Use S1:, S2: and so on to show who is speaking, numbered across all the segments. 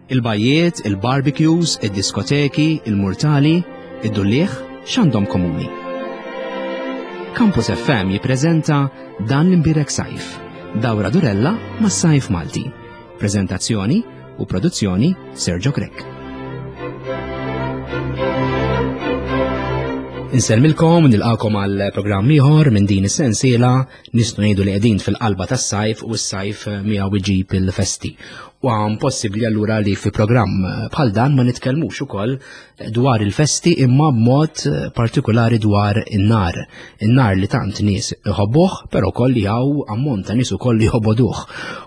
S1: Il-bajjiet, il-barbecues, id-diskoteki, il-murtali, id-dulliegħ, x'għandhom komuni? Campus FM jippreżenta Dan l-Imbierek Sajf, dawra durella mas-sajf Malti. Preżentazzjoni u produzzjoni Sergio Grech. Insellmilkom nilqakom għal programm ieħor minn din is-sensiela nistgħu ngħidu li qegħdin fil-qalba tas-sajf u s-sajf miegħu iġib il-festi. U għam possibbli allura li fi programm bħal dan ma nitkellmux ukoll dwar il-festi imma b'mod partikolari dwar in-nar. In-nar li tant nies iħobbuh, però koll li hawn ammont ta' nies ukoll li jħoboduh.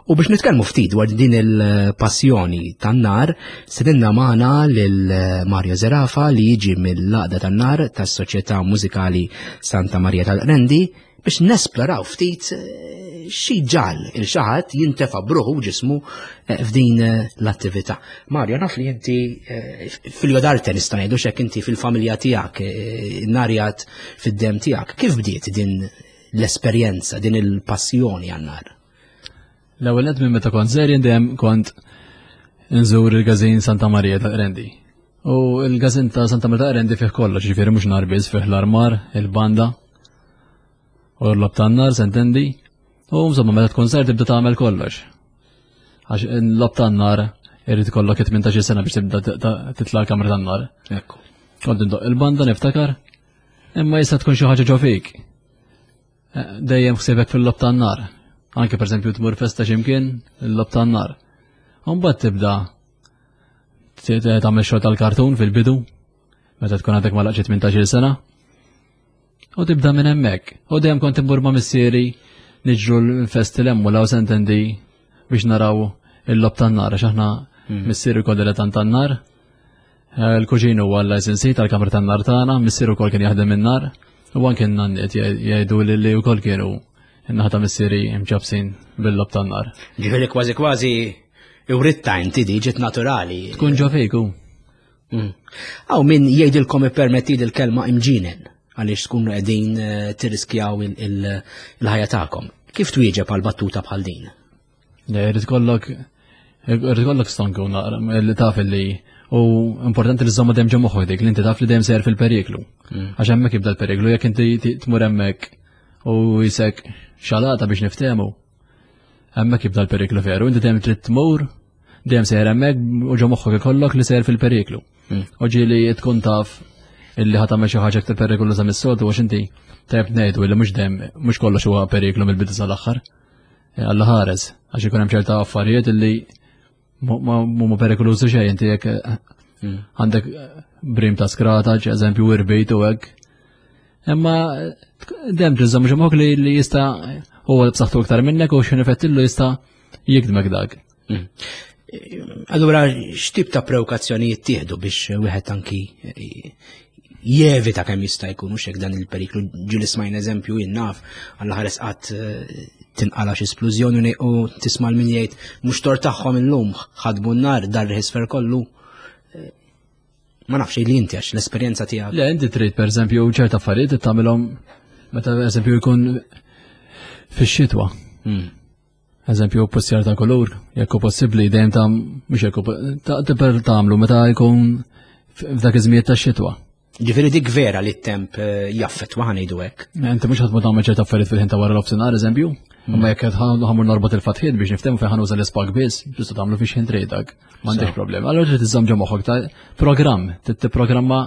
S1: U biex nitkellmu ftit dwar din il-passjoni tan-nar, sedinna magħna lil Mario Zerafa li jiġi mill-Għaqda tan-Nar tas-Soċjetà Mużikali Santa Maria tal-Qrendi biex nesploraw ftit eh, xi ġal il xaħat jintefa' bruħu ġismu eh, f'din eh, l-attività. Mario, naf li inti fil-jodarte nista' ngħidu x'hekk inti fil-familja tiegħek, narjat fid-dem tiegħek. Kif bdiet din l-esperjenza, din il-passjoni għan-nar?
S2: L-ewwel nett minn meta kont żgħir dejjem kont nżur il-każin Santa Maria tal-Qrendi. U l-każin ta' Santa Maria tal-Qrendi fih kollox, ġifieri mhux nar biss fih l-armar, il-banda, u l-lob tan-nar, sentendi. U insomma meta tkun żgħir tibda tagħmel kollox. Għax l-lob tan-nar irid ikollok 18 sena biex tibda titla' l-kamra tan-nar.
S1: Ekku.
S2: Kont indoq il-banda niftakar, imma jista' tkun xi ħaġa ġo fik. Eh, dejjem ħsiebek fil-lob tan-nar. Anke pereżempju tmur festa x'imkien, il-lob tan-nar. Mbagħad tibda tagħmel xogħol tal-kartun fil-bidu, meta tkun għadek ma laqgħet 18-il sena. U tibda minn hemmhekk. U dejjem kont immur ma' missieri niġru l-festi l-hemm u law sentendi biex naraw il-lob tan-nar għax aħna hmm. missieri wkoll dilettant tan-nar. Eh, il-kuġin huwa l-licensee tal-kamra tan-nar tagħna, missier ukoll kien jaħdem in-nar, u anke n-nanniet jgħidu li wkoll kienu n-naħa ta' missieri mċabsin bil-lob tan-nar.
S1: Ġifieri kważi kważi iwritta inti di ġiet naturali.
S2: Tkun ġo fiku.
S1: Mm. Aw min jgħidilkom ippermetti il-kelma imġinen għaliex tkunu qegħdin eh, tirriskjaw il-ħajja tagħkom. Kif twieġeb għal battuta bħal din?
S2: Le, jrid kollok jrid kollok stonku naqra li taf li u importanti li żomma dejjem ġo moħħok dik li inti taf li dejjem sejjer fil-periklu. Mm. Għax hemmhekk jibda l-periklu jekk inti tmur hemmhekk u jisek xalata biex niftehmu. Hemmhekk jibda l-periklu veru, inti dejjem trid tmur, dejjem sejjer hemmhekk u ġo moħħok ikollok li sejjer fil-periklu. Mm. U ġieli tkun taf illi ħa tagħmel xi ħaġa aktar perikoluża mis-soltu għax inti tajb ngħidu illi mhux dejjem mhux kollox huwa periklu mill-bidu sal-aħħar. Eh, Alla ħares, għax ikun hemm ċerta affarijiet illi mhuma perikolużi xejn inti jekk eh, hmm. għandek eh, brim ta' skrata, eżempju irbejt u hekk. Imma dejjem tiżżomm xi moħħok li jista' huwa b'saħħtu iktar minnek u xi nifettillu jista' jikdmek dak.
S1: Hmm. Allura x'tip ta' prewkazzjonijiet tieħdu biex wieħed anki jevita kemm jista' jkun hux hekk dan il-periklu ġieli smajna eżempju jien naf għal ħares qatt eh, tinqala xi splużjoni u tisma' min jgħid mhux tor tagħhom illum ħadbu n-nar dar isfer kollu. Eh, ma nafx li inti għax l-esperjenza tiegħek.
S2: Le inti trid pereżempju ċerta affarijiet tagħmilhom meta pereżempju jkun fix-xitwa. Hmm. Eżempju, postjar ta' kulur, jekk hu possibbli dejjem ta' mhux jekk ta' per tagħmlu meta jkun f'dak iż-żmijiet tax-xitwa.
S1: Ġifieri dik vera li t-temp eh, jaffettwa ħanejdu hekk.
S2: Eh, inti mhux ħadd tagħmel ċerta affarijiet fil-ħin ta' wara l-ofsinhar eżempju, hmm. imma jekk qed ħamur norbot il-fatħiet biex niftehmu fejn ħanuża l-ispak biss, tista' tagħmlu fiex ħin tridak, m'għandekx problema. Allura trid iżżomm ġo moħħok ta' programm, tipprogramma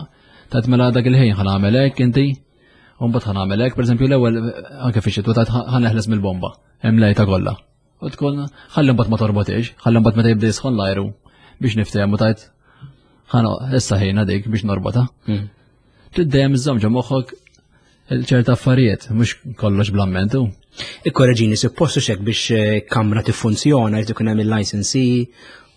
S2: ta' mela dak il-ħin ħa nagħmel hekk inti, u mbagħad ħa nagħmel hekk, pereżempju l-ewwel anke fix-xitwa ta' ħa neħles mill-bomba. Hemm lejta kollha. U tkun ħalli mbagħad ma torbotix, ħalli mbagħad meta jibda jisħon l-ajru biex niftehmu tajt ħana issa ħejna dik biex norbota. Hmm. Trid dejjem iżżomm ġo moħħok ċerta affarijiet, mhux kollox bl-ammentu.
S1: Ikkoreġini, suppostu xek biex eh, kamra tiffunzjona jrid ikun hemm il-licensee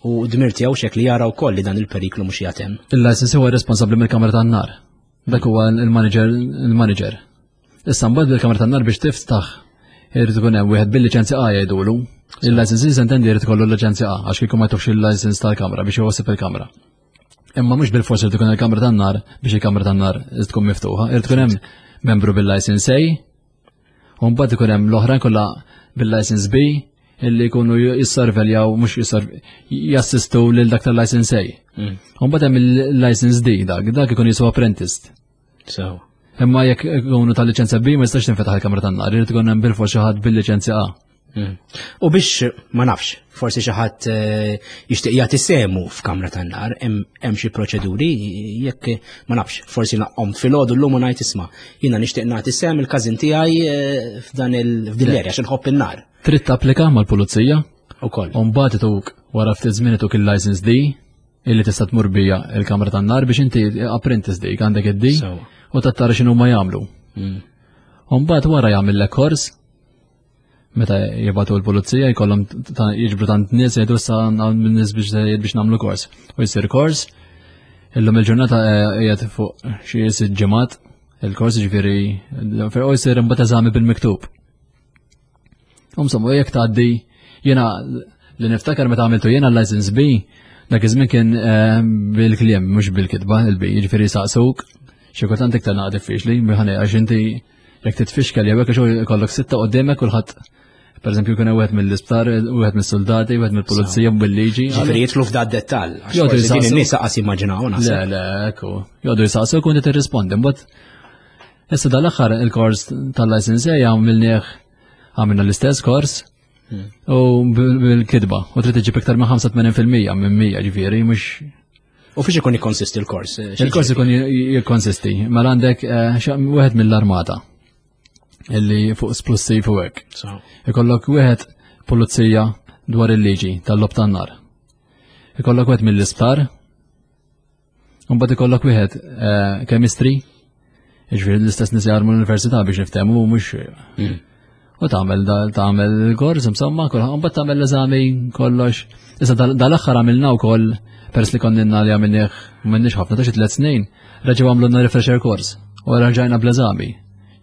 S1: u dmir tiegħu xek li jara wkoll li dan il-periklu mhux jagħtem.
S2: Il-licensee huwa responsabbli mill-kamra tan-nar. Dak huwa il-manager il-manager. Issa mbagħad bil-kamra tan-nar biex tiftaħ irid ikun hemm wieħed bil-liċenzja A jgħidulu. Il-license intendi jrid ikollu l-liċenzja A għax kieku ma jtux il-license tal-kamra biex iwasib il-kamra. Imma mhux bil-fors irid ikun il-kamra tan-nar biex il-kamra tan-nar tkun miftuħa, irid ikun hemm membru bil-license A, u mbagħad ikun hemm l-oħrajn kollha bil-license B. illi jkunu jissorveljaw mhux jassistu lil dak tal-license A. U mbagħad hemm il-license D dak, dak ikun jiswa apprentice.
S1: So.
S2: Imma jekk ikunu tal-liċenzja B ma jistax tinfetaħ il-kamra tan-nar, irid ikun hemm bil-fors xi ħadd bil-liċenzja A.
S1: U biex ma nafx, forsi xi ħadd eh, jixtieq jagħti semu f'kamra tan-nar, hemm xi proċeduri jekk ma nafx, forsi naqom filgħodu llum u ngħid isma' jiena nixtieq nagħti sem il-każin tiegħi eh, f'dan il-f'din l-erja xi nħobb in-nar.
S2: Trid tapplika mal-pulizija
S1: Ukoll.
S2: u mbagħad ituk wara ftit żmien ituk il-license D illi tista' tmur bija il-kamra tan-nar biex inti apprentice dik għandek id-D u tattara x'inhu ma jagħmlu. U mbagħad wara jagħmillek kors meta jibatu l-pulizija jkollhom jiġbru tant nies jgħidu issa għandna nies biex biex nagħmlu kors. U jsir kors, illum il-ġurnata eh, qiegħed fuq xi sitt ġimgħat il-kors ġifieri u jsir imbagħad eżami bil-miktub. Insomma, jekk tgħaddi jiena li niftakar meta għamiltu jiena l-license B, dak iż-żmien kien eh, bil-kliem mhux bil-kitba il-B, jiġifieri saqsuk xi kultant iktar naqa' diffiċli, ħana għax inti jekk titfixkel jew hekk għax ikollok sitta qudiemek kulħadd pereżempju jkun hemm wieħed mill-isptar, wieħed mis-soldati, wieħed mill-pulizija bil-liġi.
S1: Ġifieri jidħlu f'da dettall. għax
S2: Jgħodu
S1: forsi Din
S2: jisaqsu.
S1: in-nies qas jimmaġinaw
S2: Le,
S1: naħseb.
S2: le, ekku. Jgħodu jisaqsu kun tirrispondi. Mbagħad issa dal-aħħar il-kors tal-license A għamilnieh għamilna l-istess kors u bil-kitba u trid iġib iktar minn 85% minn 100 ġifieri mhux
S1: U fiex ikun ikkonsisti l-kors? Eh, xi
S2: il-kors ikun jikkonsisti. Mela għandek eh, wieħed mill-armata illi fuq splussiv u hekk.
S1: So.
S2: Ikollok wieħed pulizija dwar il-liġi tal-lob tan-nar. Ikollok wieħed mill-isptar. Mbagħad ikollok wieħed eh, chemistry, jiġifieri l-istess nies jarmu l-università biex niftehmu u mhux U tagħmel tagħmel il-kors insomma, kulħadd mbagħad tagħmel l-eżami kollox. Issa dal-aħħar għamilna wkoll peress li konna li għamilnieh m'għandniex ħafna ta' xi tliet snin, reġgħu għamlulna refresher course u reġajna bl-eżami.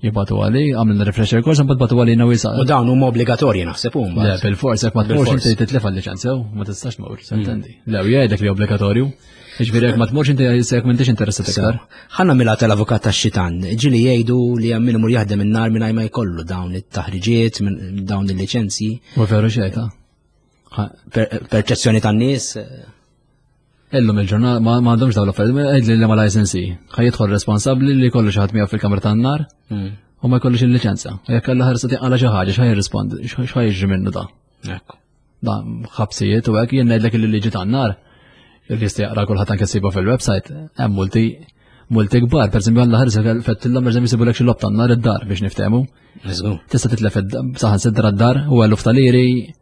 S2: Jibatu għali, għamilna refresher course, mbagħad batu għalina wisa.
S1: U dawn huma obbligatorji naħseb huma.
S2: Le, bil-fors, jekk ma tmurx
S1: Bil-fors.
S2: inti titlef għal-liċenzja, ma tistax tmur, sentendi. Le, u jgħidlek li obbligatorju. Jiġifieri jekk ma tmurx inti jekk m'intix interessat iktar.
S1: Ħanna mila tal-avukat tax-xitan, ġili jgħidu li hemm min imur jaħdem in-nar mingħajr ma jkollu dawn it-taħriġiet, minn dawn il-liċenzji,
S2: Ma veru xejn ta'
S1: perċezzjoni tan-nies.
S2: Illum il-ġurnal ma ma għandhomx dawn l-affarijiet, għidli li ma license ħaj jidħol responsabbli li jkollu xi ħadd miegħu fil-kamra tan-nar u ma jkollux il-liċenza. U jekk alla ħarsa tinqala xi ħaġa x'ħaj jirrispondi, x'ħaj jiġri minnu da.
S1: Ekku.
S2: Da ħabsijiet u hekk jien ngħidlek li liġi tan-nar li jista' jaqra kulħadd anke ssibu fil-website, hemm multi multi kbar, pereżempju alla ħarsa fettilhom pereżempju jsibulek xi lob tan-nar id-dar biex niftehmu.
S1: Żgur.
S2: Tista' titlef saħan sidra d-dar u eluf tal-iri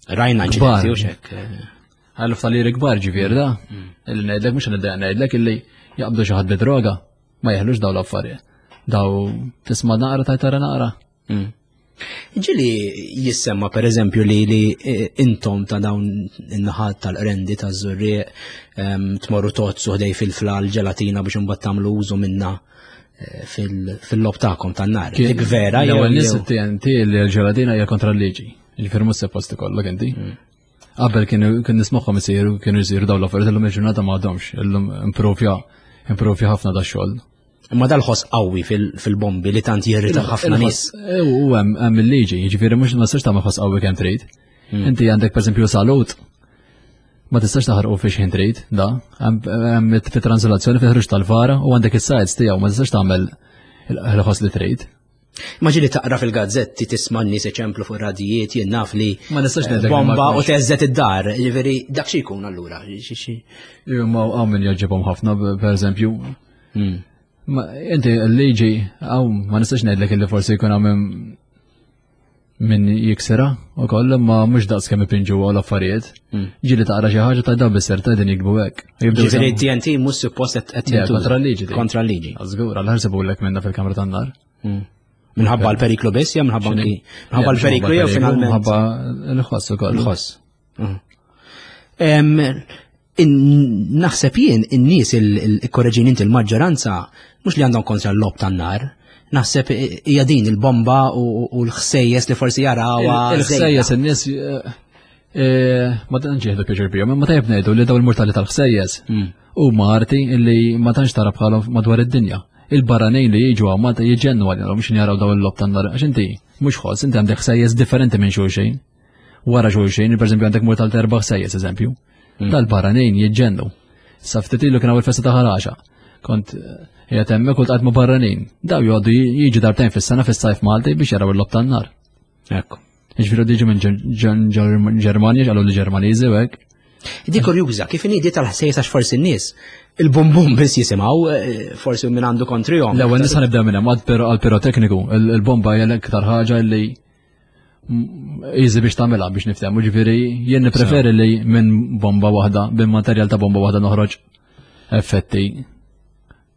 S1: Rajna
S2: Kbar.
S1: inċidenti u xek.
S2: Eluf tal-liri kbar ġifieri da. Illi ngħidlek mhux ngħidlek ngħidlek illi jaqbdu xi ħadd bi droga ma jeħlux daw l-affarijiet. Daw tisma' naqra tajt tara naqra.
S1: Ġili jissemma per eżempju li li eh, intom ta' dawn in-naħat tal-qrendi ta' żurrieq tmorru tozzu ħdej fil-fla l-ġelatina biex imbagħad tagħmlu użu minna eh, fil-lob tagħkom tan-nar. Dik vera jew
S2: L-ewwel nies
S1: jew-
S2: it-TNT li l-ġelatina hija kontra l-liġi. Ġifieri mhux suppost ikollok inti. Qabel kienu kien nismagħhom isiru kienu jsiru dawn l-affarijiet illum il-ġurnata ma għadhomx, illum impruvja impruvja ħafna da xogħol.
S1: Imma dal-ħoss qawwi fil-bombi li tant jirrita ħafna nies.
S2: Eh, U hemm hemm il-liġi, jiġifieri mhux ma tistax tagħmel ħoss qawwi kemm trid. Inti għandek pereżempju salut ma tistax taħarqu fi xħin trid, da, hemm fi translazzjoni fi ħruġ tal-vara u għandek is-sites tiegħu ma tistax tagħmel il-ħoss li trid.
S1: Ma ġili taqra fil-gazzetti tisma' n-nies iċemplu fuq radijiet jien naf li
S2: Ma nistax ngħidlek li ma
S1: bomba u
S2: jkunx.
S1: teżżet id-dar. Ġifieri dak xi jkun allura. Xi- xi-
S2: Ma hawn min jogħġibhom ħafna pereżempju. Ma inti l-liġi hawn ma nistax ngħidlek illi forsi jkun hawn min jiksira u koll ma mhux daqs kemm ipinġu għal affarijiet. Ġieli taqra xi ħaġa ta' dawn bis-ser ta' din jikbu hekk. Jibdew
S1: Ġifieri
S2: jsemmu-
S1: TNT mhux suppost qed qed
S2: Le,
S1: jintuża.
S2: kontra l-liġi dik.
S1: Kontra l-liġi.
S2: Żgur, għal ħarsibulek minna fil-kamra tan-nar.
S1: Minħabba l-periklu biss jew minħabba
S2: X'inhi?
S1: anki minħabba
S2: Le,
S1: l-periklu jew finalment.
S2: Minħabba l-ħoss ukoll.
S1: Il-ħoss. Em, Naħseb jien in-nies il-korreġin inti il-maġġoranza mhux li għandhom kontra l-lob tan-nar. Naħseb hija din il-bomba u l-ħsejjes li forsi jarawha.
S2: Il-ħsejjes in-nies eh, eh, ma tantx jieħdu pjaċir bihom, imma tajjeb ngħidu li daw il-mortali tal-ħsejjes huma arti illi ma tantx tara bħalhom madwar id-dinja. Il-barranin li jiġu hawn Malta jiġennu għalihom biex jaraw daw il-lob tan-nar għax inti mhux ħoss inti għandek ħsejjes differenti minn xulxin. wara xulxin, per eżempju għandek murtal ta' erba' ħsejjes eżempju. Dal-barranin jiġġennu. Sa ftit ilu kien hawn il-festa ta' ħaraxa. Kont eh, qiegħed hemmhekk u ltqajt ma' barranin. Daw joqogħdu jiġu darbtejn fis-sena fis-sajf Malti biex jaraw il-lob tan-nar.
S1: Ekku.
S2: Jiġifieri diġu minn Ġermanja, ġalu li Ġermaniżi u hekk.
S1: Di kurjuża, kif inhi di tal-ħsejjes għax forsi n-nies il-bum-bum biss jisimgħu, eh, forsi minn għandu kontrihom.
S2: L-ewwel nisa nibda minn hemm għal pirotekniku, il-bomba hija l-iktar ħaġa li easy biex tagħmilha biex niftehmu, ġifieri jien nippreferi li minn bomba waħda, minn materjal ta' bomba waħda noħroġ effetti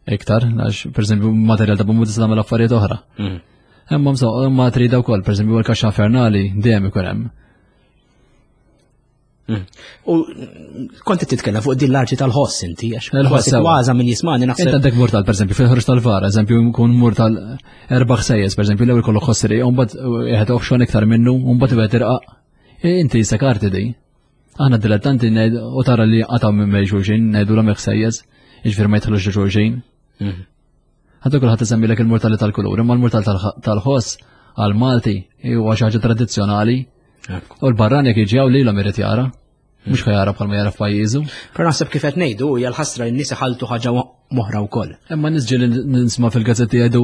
S2: iktar, għax pereżempju materjal ta' bomba tista' tagħmel affarijiet oħra. Mm. Imma imma trida wkoll, pereżempju l-kaxxa infernali dejjem ikun hemm.
S1: Mm. U kont qed titkellem fuq din l-arti tal-ħoss inti, għax il-ħoss kważa min jismani
S2: naħseb. Inti għandek murtal pereżempju fil-ħruġ tal-vara, eżempju jkun murtal erba' ħsejjes, pereżempju l-ewwel kollok ħossri, u mbagħad wieħed oħxon iktar minnu, u mbagħad wieħed irqaq. E, inti jisek arti di. Aħna dilettanti u tara li qataw minn bejn xulxin, ngħidu l ħsejjes, jiġifieri ma jidħlux xulxin. Mhm. Għandu kulħadd isemmilek il-murtali tal-kulur, imma l-murtal tal-ħoss għal-Malti huwa xi ħaġa tradizzjonali. U l-barran jekk jiġi hawn lilhom irid jara. Mhux ħa jara bħalma jara f'pajjiżu.
S1: Però naħseb kif qed ngħidu hija l-ħasra li n-nies iħalltu ħaġa moħra wkoll.
S2: Imma nies ġieli nisma' fil-gazzetti jgħidu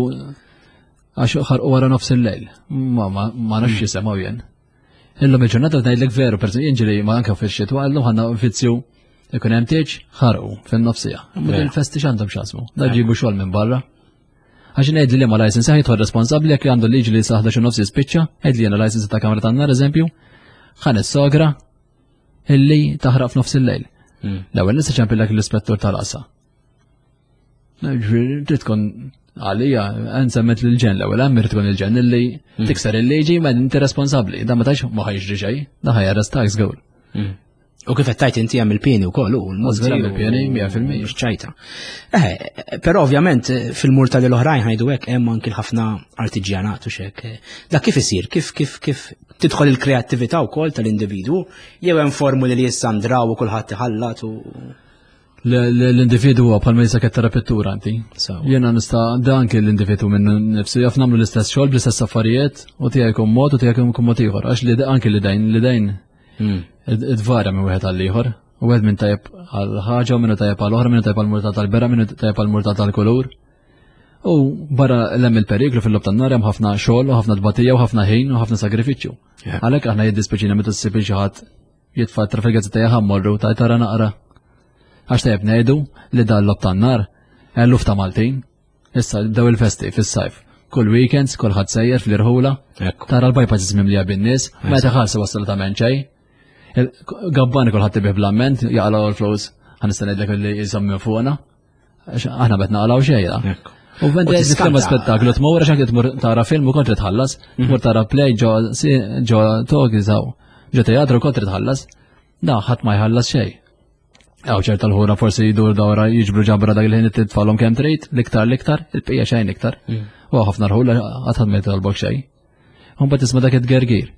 S2: għax ħarqu wara nofs il-lejl. Ma ma nafx jisemgħu jien. Illum il-ġurnata ngħidlek veru, per jien ġieli ma anke fix-xitwa illum ħanna vizzju ikun hemm tieġ ħarqu fin-nofsija. Imma il-festi x'għandhom x'asmu. Da ġibu xogħol minn barra. Għax ngħid li ma license jidħol responsabbli jekk għandu liġi li sa 11 nofs jispiċċa, ngħid li jiena license ta' kamra tan-nar eżempju, ħan is-sogra illi taħraq f'nofs il-lejl. Hmm. L-ewwel nista' ċempillek l-ispettur tal-qasa. Trid tkun għalija, nsemmet l-ġen l-ewwel hemm irid tkun il-ġen illi hmm. tikser il-liġi ma inti responsabbli. Da ma tax ma ħajġri xejn, da ħajarrestak żgur.
S1: Hmm. U kif qed tajt inti hemm il-pieni wkoll u
S2: l-multi. Hemm il-pieni 100%.
S1: Ċajta. Eh, però ovvjament fil-murta li l-oħrajn ħajdu hekk hemm anki ħafna artiġjanat u xek. Dak kif isir, kif kif kif tidħol il-kreattività wkoll tal-individwu jew hemm formuli li jissandraw u kulħadd iħallat u
S2: L-individu huwa bħalma jisa tara pittura inti. Jiena nista' dan kien l-individu minn nifsu jaf nagħmlu l-istess xogħol bl-istess affarijiet u tiegħi jkun mod u tiegħek jkun mod ieħor għax li anke li dejn li dejn hmm. idvarja minn wieħed għal ieħor. U wieħed minn tajjeb għal ħaġa u minnu tajjeb għal oħra, minnu tajjeb għal murta tal-bera, minnu tajjeb għal murta tal-kulur. U barra l-hemm il-periklu fil-lob tan-nar hemm ħafna xogħol u ħafna tbatija u ħafna ħin u ħafna sagrifiċċju. Għalhekk aħna jiddispjaċina meta ssib xi ħadd jitfa' tra fil-gazzetta jaħam morru ta' tara naqra. Għax tajjeb ngħidu li dan lob tan-nar eluf ta' Maltin. Issa bdew il-festi fis-sajf. Kull weekends, kulħadd sejjer fl-irħula. Tara l-bypasses mimlija bin-nies, ma jtaħallsu assolutament xejn. Gabbani kulħadd ibih bl-amment, jaqalgħu l-flus, ħa ngħidlek li jisom minn fuqna. Aħna bet naqalgħu xejn. U vende nitkellem spettaklu tmur għax anke tmur tara film u kontri tħallas, mhm. tmur tara play ġo ġo talk ġo teatru kontri tħallas. Da ħadd ma jħallas xejn. Għaw ċerta l-ħura forsi jidur dawra jiġbru ġabra dak il-ħin titfallhom kemm trid, l-iktar l-iktar, il-bqija xejn iktar. Mhm. U ħafna rħula qatt ħadd ma jitolbok xejn. U mbagħad tisma' dak it-tgergir.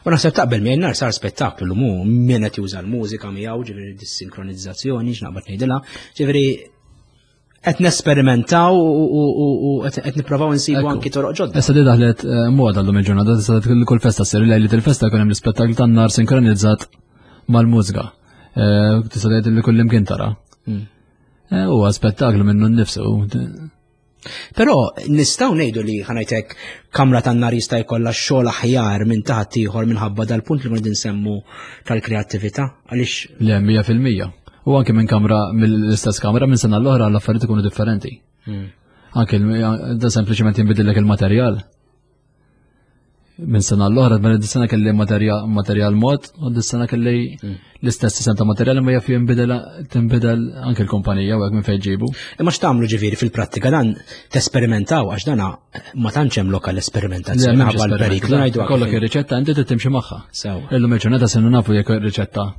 S1: U naħseb taqbel miegħi nar sar spettaklu l mu min qed juża l-mużika miegħu, ġifieri dis-sinkronizzazzjoni x'naqbad ngħidilha, ġifieri qed nesperimentaw u qed nipprovaw insibu anki toroq ġodda.
S2: Issa di daħlet eh, moda llum il-ġurnata, issa kull festa ssir lejli il-festa jkun hemm l-ispettaklu tan-nar sinkronizzat mal-mużika. Eh, tista' tgħid li kull imkien tara. Hmm. Eh, huwa spettaklu minnu nnifsu.
S1: Però nistgħu ngħidu li ħanajtek kamra tan-nar jista' jkollha xogħol aħjar minn taħt ieħor minħabba dal-punt li qegħdin nsemmu tal-kreattività għaliex.
S2: Le, 100%. U anke minn kamra mill-istess kamra minn sena l-oħra l-affarijiet ikunu differenti. Hmm. Anke da sempliċement jinbidillek il-materjal. Minn sena l-oħra, minn dis-sena kelli materjal mod, u dis-sena kelli hmm. l-istess sistem ta' materjal imma jaf jinbidel tinbidel anke l-kumpanija u hekk minn fejn ġibu.
S1: Imma x'tagħmlu ġifieri fil-prattika dan tesperimentaw għax dana ma tantx hemm lokal esperimentazzjoni
S2: minħabba l-periklu ngħidu. Kollok ir-riċetta inti trid timxi magħha. Illum il-ġurnata se nafu jekk ir-riċetta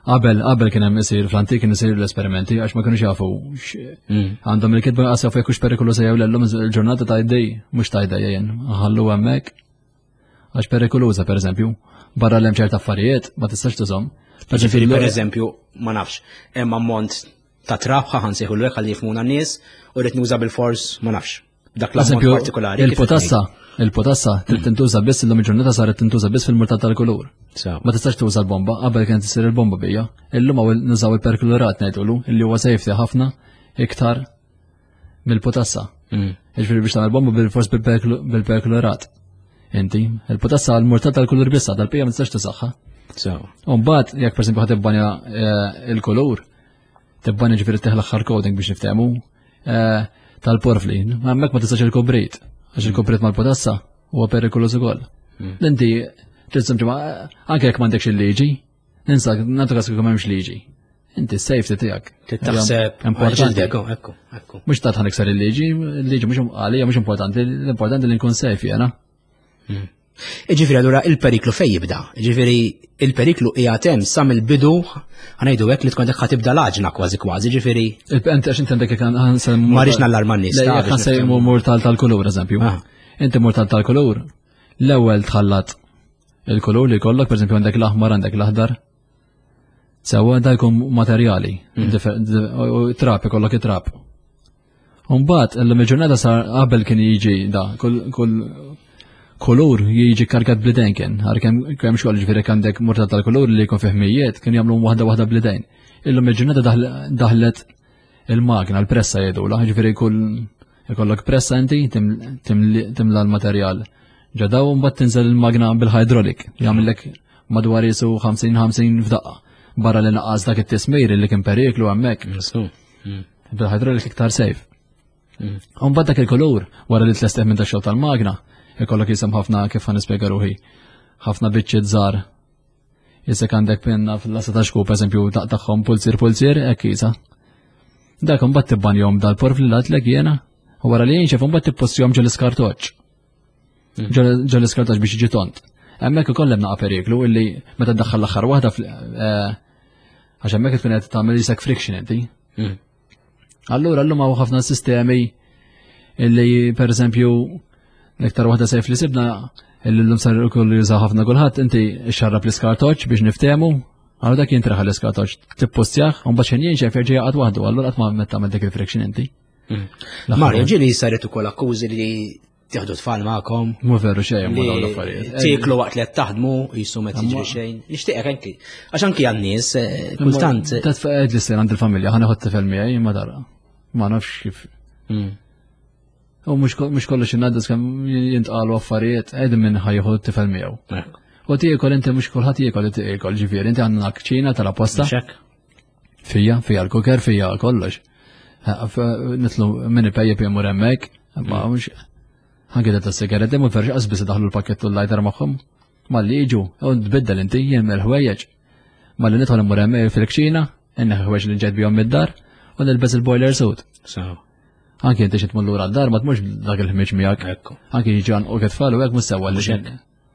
S2: Qabel, qabel kien hemm isir fl-antik kien isir l-esperimenti għax ma kienux jafu hmm. għandhom il-kitba qas jafu jekk hux perikolu se jew lellum il-ġurnata ta' jdej mhux ta' jdej jien ħallu hemmhekk għax perikoluża pereżempju barra l-hemm ċerta affarijiet ma tistax tużhom.
S1: Ġifieri pereżempju ma nafx hemm ammont ta' trab ħa nsejħu l ħalli jifhmuna n-nies u rrid nuża bil-fors ma nafx. Dak l-eżempju partikolari.
S2: Il-potassa, il-potassa trid tintuża biss illum il-ġurnata saret tintuża biss fil-murtal tal-kulur. Ma tistax tuża l-bomba, qabel kienet issir il-bomba bija. Illum hawn nużaw il-perklorat ngħidulu illi huwa safety ħafna iktar mill-potassa. Mm. Jiġifieri biex tagħmel bomba bil-fors bil-perklorat. Inti, il-potassa għal-murtal tal-kulur biss dal-pija ma tistax tużaha. U mbagħad jekk pereżempju ħad tibbanja eh, il-kulur, Tibbani ġifieri teħ l-aħħar coding biex niftehmu eh, tal-porfli. Hemmhekk ma tistax il-kubrit, għax il-kubrit mal-potassa huwa perikoluż ukoll. Hmm. Inti trid ġimgħa anke jekk m'għandekx il-liġi, ninsa nagħtu każ kieku m'hemmx liġi. Inti s-safety tiegħek.
S1: Taħseb importanti. Ekku,
S2: ekku. Mhux ta' tħan il-liġi, il-liġi mhux għalija mhux importanti, l-importanti li nkun safe jiena.
S1: Hmm. Iġifieri allura il-periklu fejn jibda? Iġifieri il-periklu qiegħed hemm sa mill-bidu ħanejdu hekk li tkun qed tibda l-għaġna kważi kważi, ġifieri.
S2: Inti għax inti għandek
S1: Ma rridx nallarma n-nies.
S2: Jekk ħansejmu murtal tal-kulur eżempju. Ah. Inti murtal tal-kulur, l-ewwel tħallat il-kulur li jkollok, pereżempju għandek l-aħmar għandek l-aħdar. Sewwa da jkun materjali, mm. trap ikollok it-trap. Umbagħad illum il-ġurnata sar qabel kien jiġi da, kull kulur jiġi karkat blidejn kien, għar kemm kemm xogħol ġifieri għandek murta tal-kulur li jkun fih mijiet kien jagħmlu waħda waħda blidejn. Illum il-ġurnata daħlet il-magna, l-pressa jgħidula, ġifieri kull ikollok pressa inti timla l-materjal. Ġadaw mbagħad tinżel il-magna bil-hydraulic, jagħmellek madwar jisu 50-50 f'daqqa. Barra li naqqas dak it-tismir li kien periklu hemmhekk. Mm. Bil-hydraulic iktar safe. Mm. Umbagħad dak il-kulur wara li tlesteh minn tax-xogħol tal-magna, ikollok jisem ħafna kif ħa nispjega ruħi. Ħafna biċċiet żgħar. Jisek għandek pinna fil-lasta ta' xkub, eżempju, taqtagħhom pulzier pulzier, hekk jisa. Dak imbagħad tibbanjhom dal-porf li latlek jiena, u wara li jinxef imbagħad tippostjhom ġol iskartoċ. Mm. Ġol iskartoċ biex jiġi tont. Hemmhekk ukoll hemm naqa' periklu illi meta ddaħħal l-aħħar waħda eh, Għax hemmhekk tkun qed tagħmel isek friction inti. Hmm. Allura llum hawn ħafna sistemi illi pereżempju l-iktar waħda sejf li sibna illi llum sar ukoll jużaw ħafna kulħadd inti xarrab l-iskartoċ biex niftehmu Għallu dak jintraħ l-iskartoċ, tippostjaħ, un baċen jinxef jerġa' jaqgħad waħdu, allura qatt ma metta dak il-friction inti.
S1: Hmm. Mario, ġieli saret ukoll akkużi li Tieħdu tfal magħkom.
S2: Mhu veru xejn ma dawn l-affarijiet.
S1: Tieklu waqt li qed taħdmu jisu ma tiġri xejn. Nixtieqek anki. Għax anki għan-nies eh, kultant.
S2: Tatfaqed li sejn għand il-familja ħa neħod tifel miegħi ma dara. Ma nafx kif. Hmm. U mhux kollox innaddis kemm jintqalu affarijiet qegħdin minn ħajħu tifel miegħu. U tiekol inti mhux kulħadd jiekol tiekol ġifieri inti għandna kċina tal-apposta. Fija, fija l-kuker, fija kollox. Nitlu minn ipejjep jemur hemmhekk, ma mhux anke ta' sigaretti mhu ferx qas biss daħlu l-pakkett u l-lighter magħhom. Malli jiġu, u tbiddel inti jien mill-ħwejjeġ. Malli nidħol immur hemmhekk fil-kċina, inneħi ħwejjeġ li ġejt bihom mid-dar u nilbes il-boiler suit. Anke inti xi tmur lura d-dar ma tmurx dak il-ħmieġ miegħek. Anke jiġu u tfal u hekk mhux sewwa li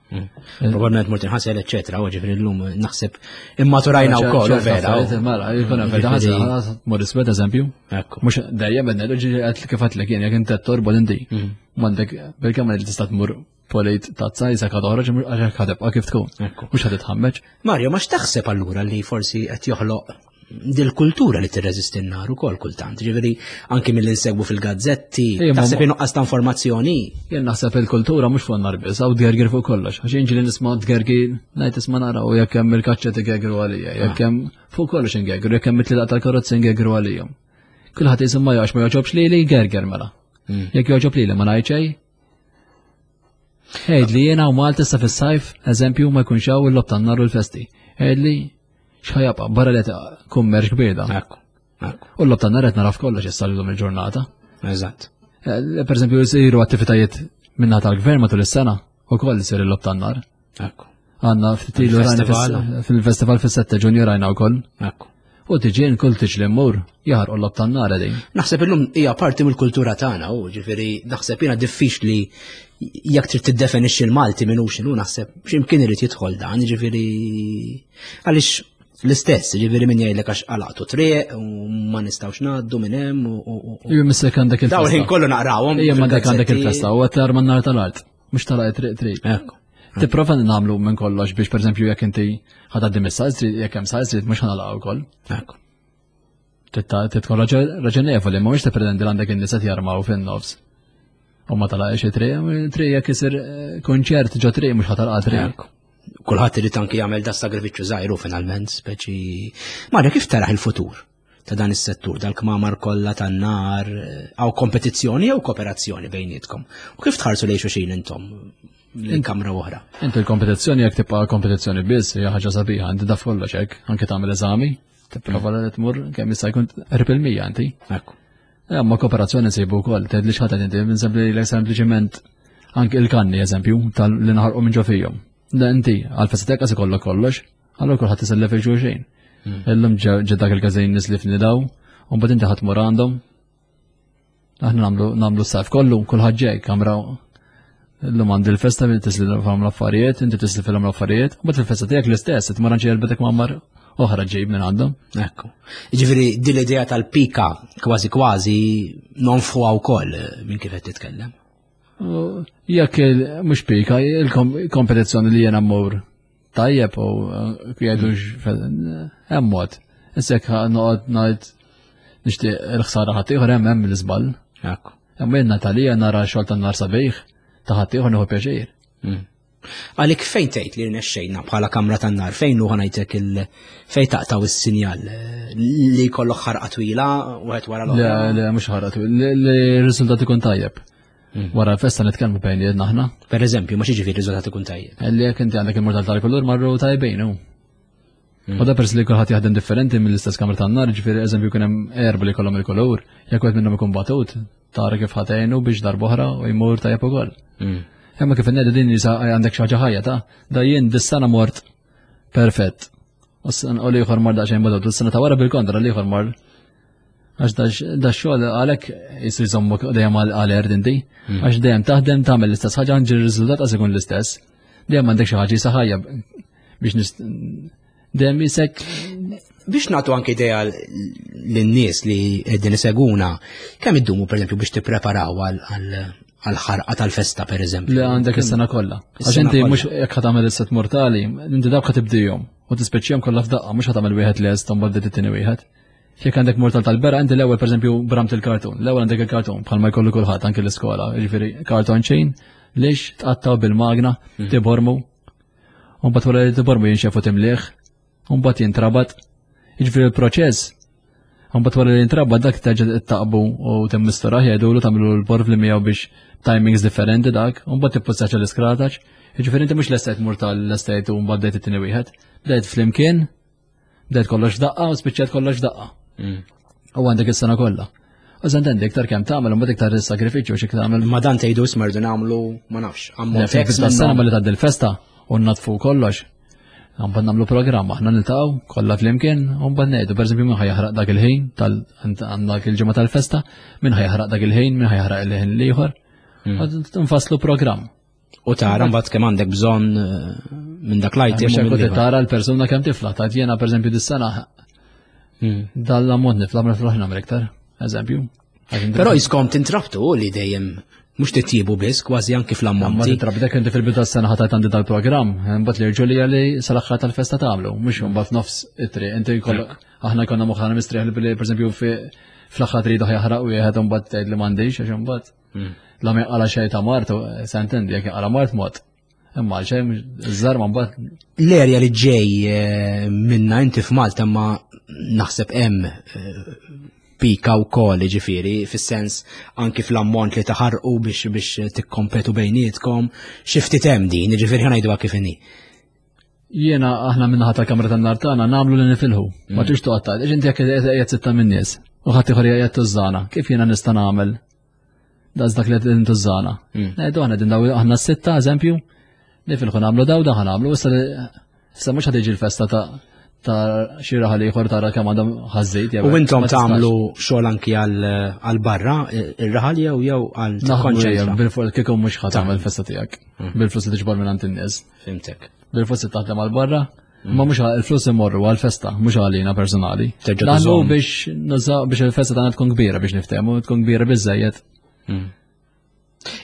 S1: Mm. Probabbilment mort inħasel, eċetera, u ġifieri llum naħseb immaturajna wkoll, vera.
S2: Mela, jkun hemm vera ħasel, mor iswed eżempju. Mhux dejjem qed ngħidu ġieli qed kif għedtlek jien jekk inti torbod inti. Mm. M'għandek bil-kemm li tista' tmur polit tazza jisek ħad oħroġ għax hekk ħadebqa' kif tkun. Mhux ħad titħammeġ.
S1: Mario, ma x'taħseb allura li forsi qed joħloq dil-kultura li tirreżisti n-nar ukoll kultant. Ġifieri anki mill insegwu fil-gazzetti, taħseb nuqqas ta' informazzjoni.
S2: Jien naħseb il-kultura mhux fuq nar biss, hawn tgergir fuq kollox. Għax inġi li nisma' tgergir, ngħid isma' nara u jekk hemm il-kaċċa tigergru għalija, jekk ah. hemm fuq kollox ingergru, jekk hemm it-tlilaq tal-karozzi ingergru għalijhom. Kulħadd jisimma jgħax ma jogħġobx lili gerger mela. Hmm. Jekk jogħġob lili ma ngħid xejn, Għid li jiena u Malta issa fis-sajf, eżempju, ma jkunx hawn il-lob tan-nar u l-festi. Għid li x'ħajabqa' barra li kummerċ kbir da. U l-lob tan-nar qed naraf kollox issa llum il-ġurnata.
S1: Eżatt.
S2: Eh, per eżempju, jsiru attivitajiet minna tal-gvern matul is-sena u koll isir il-lob tan-nar.
S1: Ekku.
S2: Għanna ftit rajna fil-festival fis-7 ġunju rajna wkoll.
S1: Ekku.
S2: U tiġi kull tiġli mmur jaħarqu l-lob tan-nar din.
S1: Naħseb illum hija parti mill-kultura tagħna u ġifieri naħseb jiena diffiċli jekk trid tiddefinixxi l-Malti minn x'inhu naħseb x'imkien irid jidħol dan, ġifieri għaliex l-istess, ġifieri min jgħidlek għax qalaqtu triq u ma nistgħux ngħaddu minn hemm u.
S2: Iju missek għandek il-festa.
S1: Dawn ħin kollu naqrawhom.
S2: Ija m'għandek għandek il-festa u qed tarma n-nar tal-art, mhux talaq triq triq.
S1: Ekku.
S2: Tipprova nagħmlu minn kollox biex pereżempju jekk inti ħadaddi mis-size street, jekk hemm size street mhux ħanalaqgħu wkoll.
S1: Ekku.
S2: Titkun raġonevoli, ma mhux tippretendi li għandek in-nies qed jarmaw fin-nofs. U ma talaqx it-triq, triq jekk isir eh, konċert ġo triq mhux ħatalqa triq.
S1: Kulħadd irid anki jagħmel da sagrifiċċju żgħiru finalment, speċi. Mario, kif taraħ il-futur ta' dan is-settur, dal-kmamar kollha tan-nar, hawn kompetizzjoni jew kooperazzjoni bejnietkom? U kif tħarsu lejn xulxin intom lejn kamra oħra?
S2: Inti l-kompetizzjoni jekk tibqa' kompetizzjoni biss hija ħaġa sabiħa, inti taf kollox hekk, anke tagħmel eżami, tipprova li tmur kemm jista' jkun qrib il-100 inti.
S1: Ekku.
S2: Eh, ma kooperazzjoni nsibu wkoll, tgħid li xħatet inti, minn sempli sempliċiment anke il-kanni eżempju tal li naħarqu minn ġo fihom. Da inti għal-festa tiegħek ikollok kollox, allura kulħadd isellef il xulxin. Hmm. Illum ġe dak il-każin nies li fnidaw, u mbagħad inti ħadd mur għandhom. Aħna nagħmlu nagħmlu s-sajf kollu, kulħadd ġej kamra Illum għandi l-festa minn tislifhom l-affarijiet, inti tislifilhom l-affarijiet, u mbagħad fil-festa tiegħek l-istess, tmur għand xi jelbetek mammar oħra ġejb minn għandhom.
S1: Ekku. Jiġifieri din l-idea tal-pika kważi kważi nonfħuha wkoll eh, minn kif qed titkellem.
S2: Jekk mhux pika, il-kompetizzjoni li jiena mmur tajjeb u eh, jgħidu hmm. hemm mod. Issa jekk noqgħod ngħid nixtieq il-ħsara ħadd ieħor hemm hemm l-iżball.
S1: Ekku.
S2: Imma jien Natalija nara xogħol tan-nar sabiħ ta' ħaddieħor nieħu pjaċir.
S1: Hmm. Għalik fejn tgħid li rnexxejna bħala kamra tan-nar fejn hu ħanajtek il fejn taqtaw is-sinjal li jkollok ħarqa twila wieħed wara
S2: l-oħra. Le, le mhux ħarqa twila, li r-riżultat ikun tajjeb. Hmm. Wara l-festa nitkellmu bejn jedna aħna.
S1: Per eżempju, ma xiġifieri riżultat ikun tajjeb.
S2: Li jekk inti għandek il-mortal tal-kulur marru tajbin hu. Hmm. U da pers li kulħadd jaħdem differenti mill-istess kamra tan-nar, ġifieri eżempju kien hemm erba li kollhom il-kulur, jekk wieħed minnhom ikun batut, tara kif ħatejnu biex darb'oħra u jmur tajjeb ukoll.
S1: Hmm.
S2: Imma kif innedi din jisa għandek xi ħaġa ħajja ta' da jien dis-sena mort perfett. U l-ieħor mar daqsxejn batut, u s-sena ta' wara bil-kontra l-ieħor mar Għax da xogħol għalhekk jisir jżommok dejjem għal-erd inti, hmm. għax dejjem taħdem tagħmel l-istess ħaġa ġi r-riżultat għas ikun l-istess. Dejjem għandek xi ħaġa jisa ħajja biex nist dejjem jisek
S1: biex nagħtu anke idea lin-nies li qegħdin iseguna, kemm iddumu pereżempju biex tippreparaw għal-ħarqa tal-festa pereżempju?
S2: Li għandek is-sena kollha. Għax inti mhux jekk ħa tagħmel is-set mortali, inti dawk ħa tibdihom u tispeċjhom kollha f'daqqa mhux ħa tagħmel wieħed lest u mbagħad it-tieni wieħed. Jekk għandek mortal tal-bera, inti l-ewwel pereżempju bramt il-kartun. L-ewwel għandek il-kartun bħalma jkollu kulħadd anke l-iskola, jiġifieri karton chain, lix tqattaw bil-magna, hmm. tibormu. U mbagħad wara li tibormu jinxefu timliħ, u mbagħad jintrabat. Jiġifieri l-proċess Mbagħad wara li jintrabat dak terġa' taqbu u timmisturah jgħidulu tagħmlu l-porv li miegħu biex timings differenti dak, u mbagħad tippustaċ l-iskrataċ. Jiġifieri inti mhux l-estajt mortal l-estajt u mbagħad bdejt it-tieni wieħed. Bdejt flimkien, Bdejt kollox daqqa u spiċċajt kollox daqqa. Mm. U għandek is-sena kollha. U żentendi iktar kemm tagħmel u mbagħad iktar is-sagrifiċċju xi tagħmel.
S1: Ma dan tgħidu smerdu nagħmlu ma nafx.
S2: Ammont sena malli tgħaddi l-festa u natfu kollox. Mbagħad nagħmlu programm aħna niltaqgħu kollha flimkien u mbagħad ngħidu pereżempju min ħajaħraq dak il-ħin tal għandak il-ġimgħa tal-festa, min ħajaħraq dak il-ħin, min ħajaħraq il-ħin l-ieħor. Mm. Nfasslu programm.
S1: U tara mbagħad kemm għandek bżonn eh, minn dak l-item.
S2: Mhux hekk tara l-persuna kemm tifla, ta' jiena pereżempju dis-sena hmm. dal-ammont nifla ma niflaħ nagħmel iktar, eżempju.
S1: Però jiskom tintrabtu li dejjem mhux titjibu biss kważi anki fl-ammonti.
S2: Ma tintrabtu dak inti fil-bidu tas-sena ħatajt għandi dal-programm, mbagħad li rġu li sal-aħħar tal-festa tagħmlu, mhux mbagħad nofs it-triq, inti jkollok aħna konna moħħana mistrieħ li pereżempju fl-aħħar tridu ħjaħraq wieħed u mbagħad tgħid li m'għandix għax imbagħad. Hmm. La ma jqala xejn ta' mart, sentendi, jekk jqala mart mod. Imma għal xejn żar ma mbagħad.
S1: L-erja li ġej eh, minna inti f'Malta ma naħseb hemm eh, pika u kol ġifiri, fis-sens anki fl-ammont li taħarqu biex biex tikkompetu bejnietkom, xi ftit hemm din, ġifiri ħanajdu kif inhi.
S2: Jiena aħna minnaħa tal-kamra tan-nar tagħna nagħmlu li nifilħu. Ma mm. tix toqgħod tgħid, inti jekk qiegħed sitta min-nies u ħadd ieħor qiegħed tużżana, kif jiena nista' nagħmel Daz dak li qed intużżana. Mm. Ngħidu aħna din daw aħna sitta eżempju, nifilħu nagħmlu daw daħ nagħmlu, issa issa mhux ħad l-festa ta' ta' xi raħal ieħor tara kemm għandhom ħażejt.
S1: U intom tagħmlu xogħol anki għal barra ir-raħal jew jew għal
S2: tikkonċentra. Bil-fuq kieku mhux ħadd tagħmel festa tiegħek. Mm. Bil-flus li tiġbor minn għand in-nies.
S1: Fimtek.
S2: Bil-flus li taħdem għal barra, Ma mhux il-flus imorru għal-festa, mhux għalina personali. Naħdmu biex nużaw biex il-festa tagħna tkun kbira biex niftehmu, tkun kbira biżejjed.
S1: Hmm.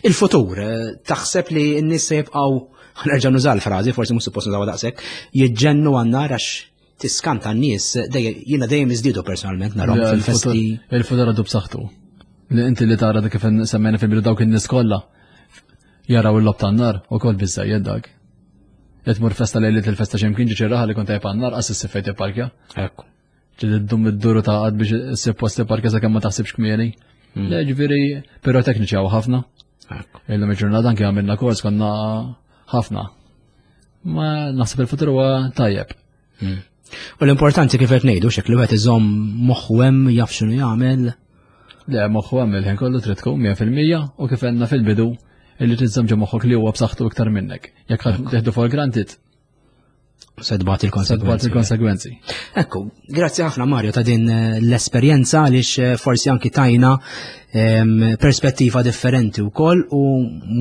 S1: Il-futur, eh, taħseb li n-nies se jibqgħu ħanerġa' nuża l-frażi, forsi mhux suppost nużawha daqshekk, jiġġennu għan-nar għax tiskanta n-nies, jiena dejjem iżdiedu personalment narhom fil-festi.
S2: Il-futur għadu b'saħħtu. Li inti li tara kif semmejna fil-bidu dawk in-nies kollha jaraw il-lob tan-nar ukoll biżżejjed dak. Li tmur festa lejliet il-festa x'imkien ġi raħal li kont tajjeb għan-nar qas issib fejn tipparkja.
S1: Ekku.
S2: Ġi ddum id-duru ta' għad biex issib post tipparkja sakemm ma taħsibx kmieni. Hmm. Le ġifieri pirotekniċi hawn ħafna. Illum il-ġurnata anke għamilna kors konna ħafna. Ma naħseb il-futur huwa tajjeb.
S1: Hmm. U l-importanti kif qed ngħidu xek li wieħed iżomm moħħu hemm jaf x'inhu jagħmel.
S2: Le moħħu hemm il-ħin kollu trid tkun 100% u kif għedna fil-bidu illi trid ġo moħħok li huwa b'saħħtu iktar minnek. Jekk teħdu for granted,
S1: Se tbati
S2: l-konsegwenzi. il-konsegwenzi.
S1: Ekku, grazzi ħafna Mario ta' din eh, l-esperjenza għaliex eh, forsi anki tajna ehm, perspettiva differenti wkoll u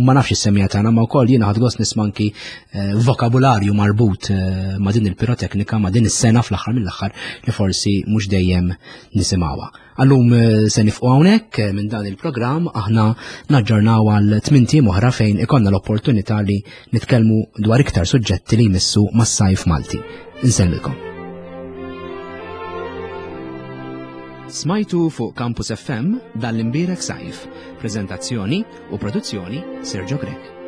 S1: ma nafx is-semija tagħna ma wkoll jiena ħadd gost nisma' anki eh, vokabularju marbut ma' din il-piroteknika ma' din is-sena fl-aħħar mill-aħħar li forsi mhux dejjem nisimgħuha. Għallum eh, se nifqu hawnhekk eh, minn dan il-programm aħna naġġornaw għal tmint oħra fejn ikonna l-opportunità li nitkellmu dwar iktar suġġetti li jmissu mas-sajf Malti. Insellmilkom. Smajtu fuq Campus FM dan l-imbierek sajf. Prezentazzjoni u produzzjoni Sergio Grech.